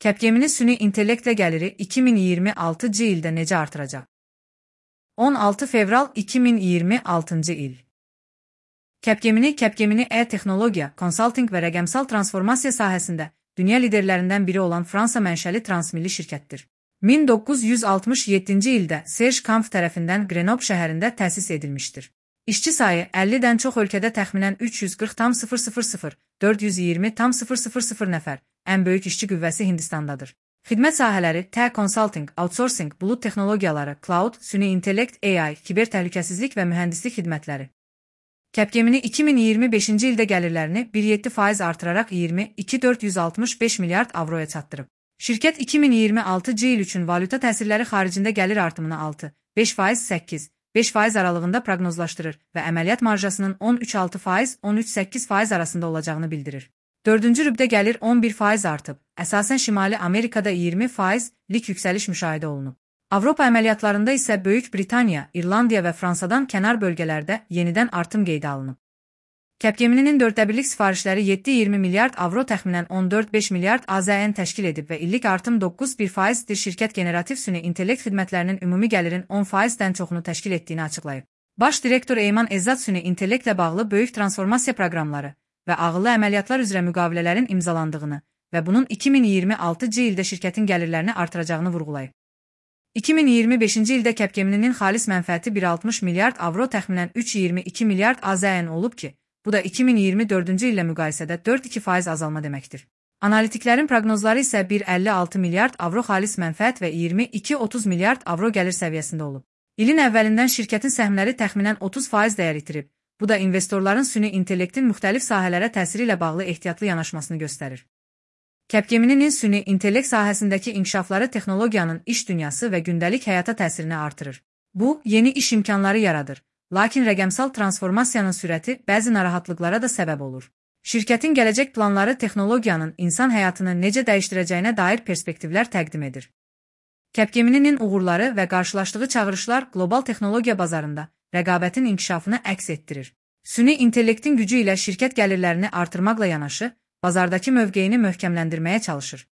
Capgemini süni intellektlə gəliri 2026-cı ildə necə artıracaq? 16 fevral 2026-cı il. Capgemini e-texnologiya, konsaltinq və rəqəmsal transformasiya sahəsində dünya liderlərindən biri olan Fransa mənşəli transmilli şirkətdir. 1967-ci ildə Serge Kampf tərəfindən Grenoble şəhərində təsis edilmişdir. İşçi sayı 50-dən çox ölkədə təxminən 340,000, 420,000 nəfər, ən böyük işçi qüvvəsi Hindistandadır. Xidmət sahələri consulting, outsourcing, bulut texnologiyaları, cloud, süni intellekt, AI, kiber təhlükəsizlik və mühəndislik xidmətləri. Capgemini 2025-ci ildə gəlirlərini 1,7% artıraraq 22,465 milyard avroya çatdırıb. Şirkət 2026-cı il üçün valyuta təsirləri xaricində gəlir artımını 6,5%, 8,5% aralığında proqnozlaşdırır və əməliyyat marjasının 13,6%, 13,8% arasında olacağını bildirir. 4-cü rübdə gəlir 11% artıb, əsasən Şimali Amerikada 20%lik yüksəliş müşahidə olunub. Avropa əməliyyatlarında isə Böyük Britaniya, İrlandiya və Fransadan kənar bölgələrdə yenidən artım qeydə alınıb. Capgemini'nin 4-birlik sifarişləri 7,20 milyard avro təxminən 14,5 milyard AZN təşkil edib və illik artım 9,1%dir. Şirkət generativ süni intellekt xidmətlərinin ümumi gəlirin 10%-dən çoxunu təşkil etdiyini açıqlayıb. Baş direktor Eyman Ezzat süni intellektlə bağlı böyük transformasiya proqramları və ağıllı əməliyyatlar üzrə müqavilələrin imzalandığını və bunun 2026-cı ildə şirkətin gəlirlərini artıracağını vurğulayıb. 2025-ci ildə Capgemini'nin xalis mənfəəti 1,60 milyard avro təxminən 3,22 milyard AZN olub ki, bu da 2024-cü illə müqayisədə 4,2% azalma deməkdir. Analitiklərin proqnozları isə 1,56 milyard avro xalis mənfəət və 22,30 milyard avro gəlir səviyyəsində olub. İlin əvvəlindən şirkətin səhmləri təxminən 30% dəyər itirib. Bu da investorların süni intellektin müxtəlif sahələrə təsiri ilə bağlı ehtiyatlı yanaşmasını göstərir. Capgemini'nin süni intellekt sahəsindəki inkişafları texnologiyanın iş dünyası və gündəlik həyata təsirini artırır. Bu, yeni iş imkanları yaradır. Lakin rəqəmsal transformasiyanın sürəti bəzi narahatlıqlara da səbəb olur. Şirkətin gələcək planları texnologiyanın insan həyatını necə dəyişdirəcəyinə dair perspektivlər təqdim edir. Capgemini'nin uğurları və qarşılaşdığı çağırışlar qlobal texnologiya bazarında rəqabətin inkişafını əks etdirir. Süni intellektin gücü ilə şirkət gəlirlərini artırmaqla yanaşı, bazardakı mövqeyini möhkəmləndirməyə çalışır.